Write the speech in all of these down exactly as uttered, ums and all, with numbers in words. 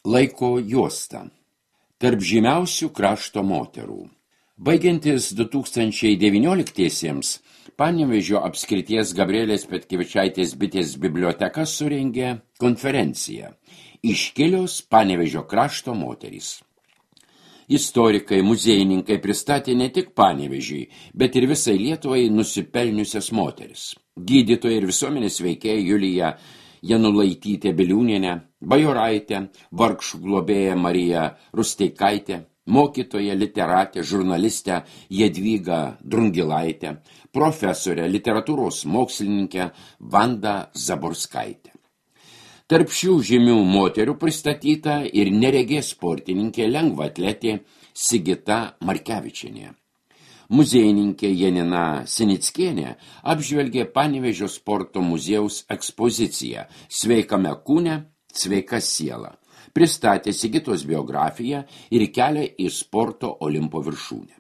Laiko juosta. Tarp žymiausių krašto moterų. Baigiantis du tūkstančiai devynioliktiesiems, Panevėžio apskrities Gabrielės Petkevičaitės bitės biblioteka surengė konferenciją Iškilios Panevėžio krašto moterys. Istorikai, muziejininkai pristatė ne tik Panevėžiui, bet ir visai Lietuvai nusipelniusias moteris. Gydytoja ir visuomenės veikėja Julija Janulaitytė Biliūnienė, bajoraitė, vargšų globėja Marija Rusteikaitė, mokytoja, literatė, žurnalistė Jadvyga Drungilaitė, profesorė, literatūros mokslininkė Vanda Zaborskaitė. Tarp šių žymių moterų pristatyta ir neregė sportininkė lengvaatletė Sigita Markevičienė. Muziejininkė Janina Sinickienė apžvelgė Panevėžio sporto muziejaus ekspoziciją Sveikame kūne, sveika siela. Pristatė Sigitos biografiją ir kelią į sporto Olimpo viršūnę.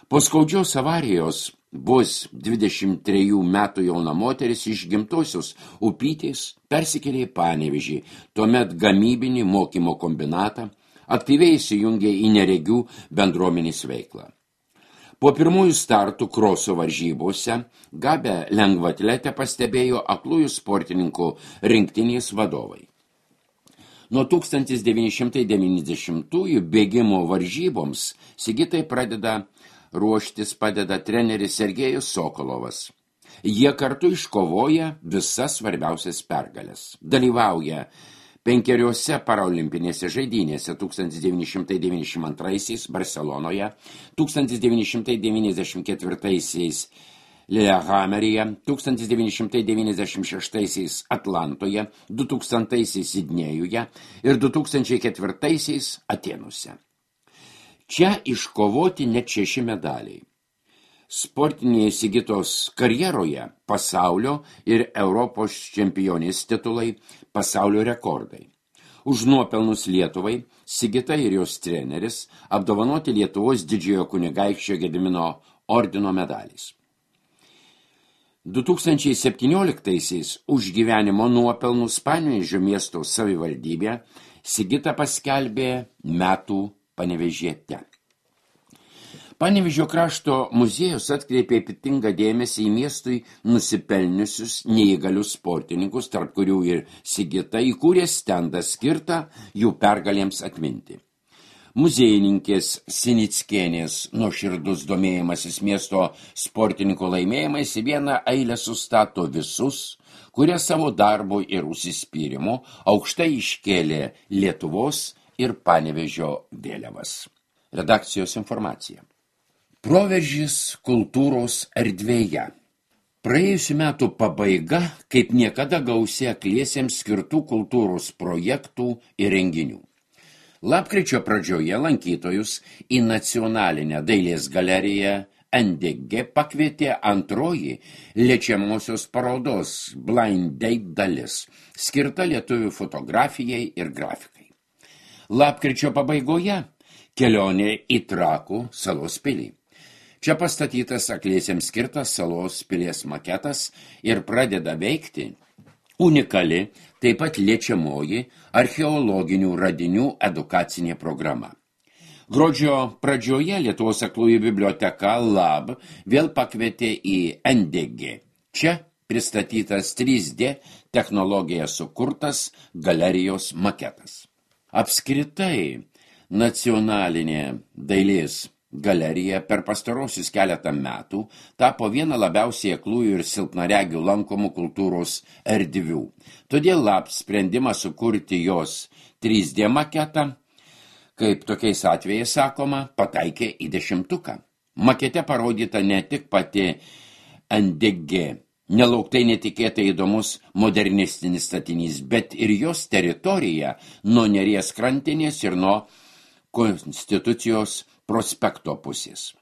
Po skaudžios avarijos bus dvidešimt trejų metų jauna moteris iš gimtosios Upytės persikėlė į Panevėžį, tuomet gamybinį mokymo kombinatą, aktyviai įsijungė į neregių bendruomenės veiklą. Po pirmųjų startų kroso varžybose gabę lengvaatletę pastebėjo aklųjų sportininkų rinktinės vadovai. Nuo tūkstantis devyni šimtai devyniasdešimtųjų bėgimo varžyboms Sigitai pradeda ruoštis padeda treneris Sergejus Sokolovas. Jie kartu iškovoja visas svarbiausias pergales. Dalyvauja penkeriose paralimpinėse žaidynėse tūkstantis devyni šimtai devyniasdešimt antraisiais Barcelonoje, tūkstantis devyni šimtai devyniasdešimt ketvirtaisiais Lillehammeryje, tūkstantis devyni šimtai devyniasdešimt šeštaisiais Atlantoje, du tūkstantaisiais Sidnėjuje ir du tūkstančiai ketvirtaisiais Atėnuose. Čia iškovoti net šeši medaliai. Sportinėje Sigitos karjeroje pasaulio ir Europos čempionės titulai, pasaulio rekordai. Už nuopelnus Lietuvai Sigita ir jos treneris apdovanoti Lietuvos didžiojo kunigaikščio Gedimino ordino medaliais. du tūkstančiai septynioliktaisiais už gyvenimo nuopelnus Panevėžio miesto savivaldybė Sigita paskelbė metų Panevėžiete. Panevėžio krašto muziejus atkreipė ypatingą dėmesį į miestui nusipelniusius neįgalius sportininkus, tarp kurių ir Sigita įkūrė stendą skirtą jų pergalėms atminti. Muziejininkės Sinickienės nuoširdus domėjimasis miesto sportininkų laimėjimais į vieną eilę sustato visus, kurie savo darbo ir užsispyrimo aukštai iškėlė Lietuvos ir Panevėžio vėliavas. Redakcijos informacija. Proveržis kultūros erdvėje. Praėjusių metų pabaiga, kaip niekada gausi akliesiems skirtų kultūros projektų ir renginių. Lapkričio pradžioje lankytojus į nacionalinę dailės galeriją N D G pakvietė antroji liečiamosios parodos Blind Date dalis, skirta lietuvių fotografijai ir grafikai. Lapkričio pabaigoje kelionė į Trakų salos pilį. Čia pastatytas akliesiems skirtas salos pilies maketas ir pradeda veikti unikali, taip pat liečiamoji archeologinių radinių edukacinė programa. Gruodžio pradžioje Lietuvos aklųjų biblioteka Lab vėl pakvietė į N D G. Čia pristatytas trys D technologija sukurtas galerijos maketas. Apskritai, nacionalinė dailės galerija per pastarosius keletą metų tapo viena labiausiai aklųjų ir silpnaregių lankomų kultūros erdvių. Todėl Lab sprendimą sukurti jos trys D maketą, kaip tokiais atvejais sakoma, pataikė į dešimtuką. Makete parodyta ne tik pati N D G, nelauktai netikėtai įdomus modernistinis statinys, bet ir jos teritorija nuo Neries krantinės ir nuo Konstitucijos prospekto pusės.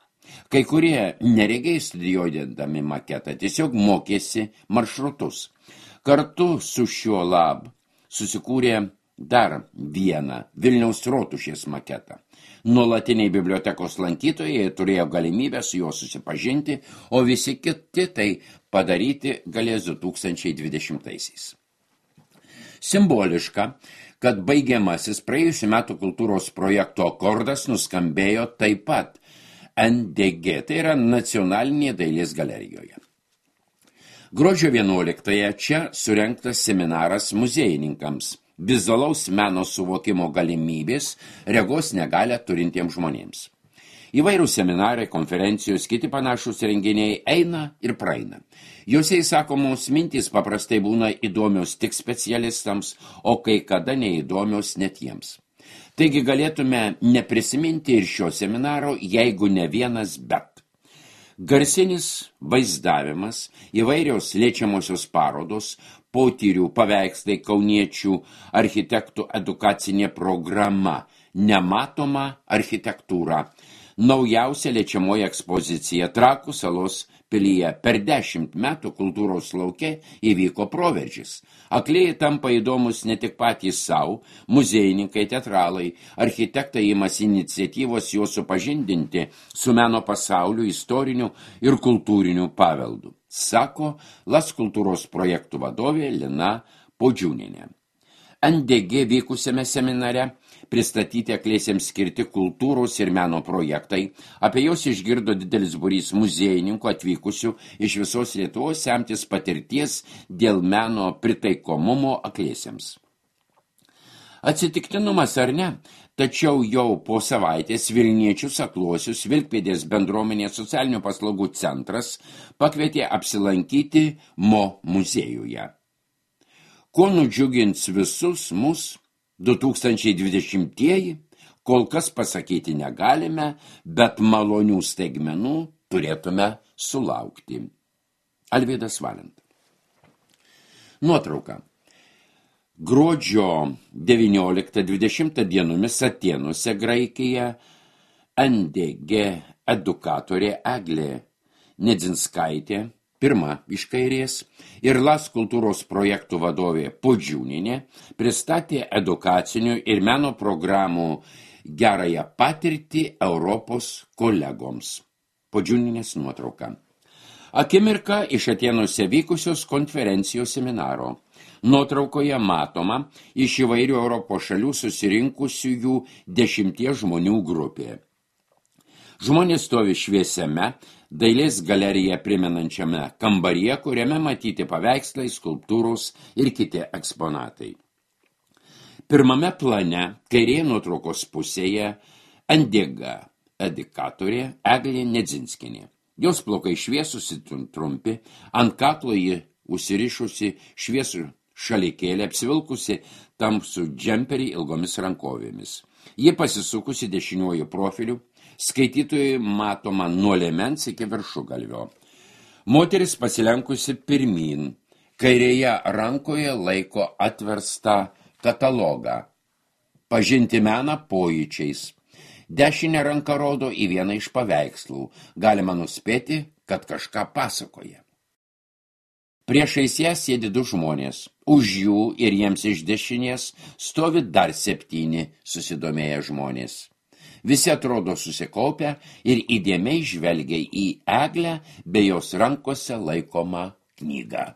Kai kurie neregiai studijuodami maketą tiesiog mokėsi maršrutus. Kartu su šiuo Lab susikūrė dar vieną Vilniaus Rotušės maketą. Nuolatiniai bibliotekos lankytojai turėjo galimybę su juo susipažinti, o visi kiti tai padaryti galės du tūkstančiai dvidešimtaisiais. Simboliška, kad baigiamasis praėjusių metų kultūros projekto akordas nuskambėjo taip pat N D G, tai yra Nacionalinėje dailės galerijoje. Gruodžio vienuoliktąją čia surengtas seminaras muziejininkams vizualaus meno suvokimo galimybės regos negalią turintiems žmonėms. Įvairių seminarai, konferencijos, kiti panašus renginiai eina ir praeina. Jose įsakomos mintys paprastai būna įdomios tik specialistams, o kai kada neįdomios net jiems. Taigi galėtume neprisiminti ir šio seminaro, jeigu ne vienas bet. Garsinis vaizdavimas, įvairios liečiamosios parodos, potyrių paveikslai kauniečių architektų edukacinė programa, nematoma architektūra, naujausia liečiamoji ekspozicija Trakų salos pilyje. Per dešimt metų kultūros lauke įvyko proveržis. Aklėjai tampa įdomus ne tik patys savo, muziejininkai, teatralai, architektai imasi iniciatyvos juos supažindinti su meno pasauliu, istoriniu ir kultūriniu paveldu, sako Las kultūros projektų vadovė Lina Podžiūnienė. N D G vykusiame seminare pristatyti aklėsiams skirti kultūros ir meno projektai. Apie jos išgirdo didelis būrys muziejininkų atvykusių iš visos Lietuvos semtis patirties dėl meno pritaikomumo aklėsiams. Atsitiktinumas ar ne, tačiau jau po savaitės Vilniečius akluosius Vilkpėdės bendruomenės socialinių paslaugų centras pakvietė apsilankyti Mo muziejuje. Kuo nudžiugins visus mus du tūkstančiai dvidešimtieji, kol kas pasakyti negalime, bet malonių staigmenų turėtume sulaukti. Alvydas Valenta. Nuotrauka. Gruodžio devynioliktą dvidešimtą dienomis Atėnuose, Graikija, N D G edukatorė Eglė Nedzinskaitė, pirma iš kairės, ir Las kultūros projektų vadovė Podžiūnienė pristatė edukacinių ir meno programų gerąją patirtį Europos kolegoms. Podžiūnienės nuotrauka. Akimirka iš Atėnuose vykusios konferencijos seminaro. Nuotraukoje matoma iš įvairių Europos šalių susirinkusiųjų dešimties žmonių grupė. Žmonės stovi šviesiame, dailės galeriją primenančiame kambaryje, kuriame matyti paveikslai, skulptūros ir kiti eksponatai. Pirmame plane, kairėje nuotraukos pusėje, N D G edukatorė Eglė Nedzinskienė. Jos plaukai šviesusi trumpi, ant kaklo ji užsirišusi šviesų šalikėlį, apsivilkusi tamsų džemperį ilgomis rankovėmis. Ji pasisukusi dešiniuoju profiliu, skaitytojai matoma nuo liemens iki viršugalvio. Moteris pasilenkusi pirmyn, kairėje rankoje laiko atverstą katalogą. Pažinti meną pojūčiais. Dešinę ranką rodo į vieną iš paveikslų. Galima nuspėti, kad kažką pasakoja. Priešais ją sėdi du žmonės. Už jų ir jiems iš dešinės stovi dar septyni susidomėję žmonės. Visi atrodo susikaupę ir įdėmiai žvelgia į Eglę bei jos rankose laikomą knygą.